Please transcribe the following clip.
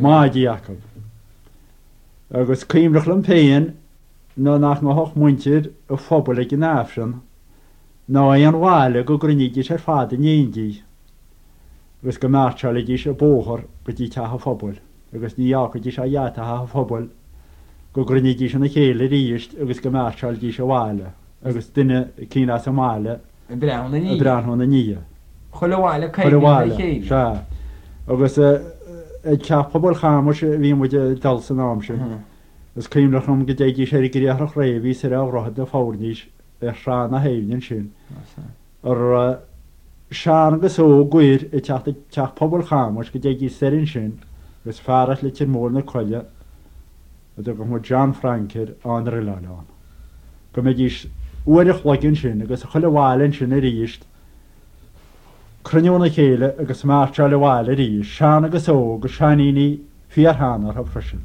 Maidí acu. Agus cuimhneach liom féin ná nach ngabhfadh muintir an phobail ag an Aifreann ná aon bhaile go gcruinnídís ar fad in éindí agus go mairtseáilidís an bóthar go dtí teach an phobail agus ní fhágfaidís ó gheata theach an phobail go gcruinnídís ina chéile arís agus go mairtseáilidís abhaile agus duine eicínt as an mbaile ag breathnú ina ndiaidh. Chuile bhaile ag cuimhneamh ar a chéile. Sea. Agus ag teach pobail Chamais a bhí muid ag dul san am sin. Is cuimhneach liom go dtéidís ar an gcriathrach réidh a bhí soir ó Dhroichead na Foirnís ar Thrá na hAibhne ansin. A raibh sean agus óg air ag teacht ag teach pobail Chamais go dtéidís soir ansin agus fear as Leitir Móir na Coille a dtugadh muid John Frank air á ndruileáil ann. Go mbeidís uair a chloig ansin agus chuile bhaile ansin arís cruinniú ina chéile agus mairtseáil abhaile arís, sean agus óg, seainíní fíorshean orthu freisin.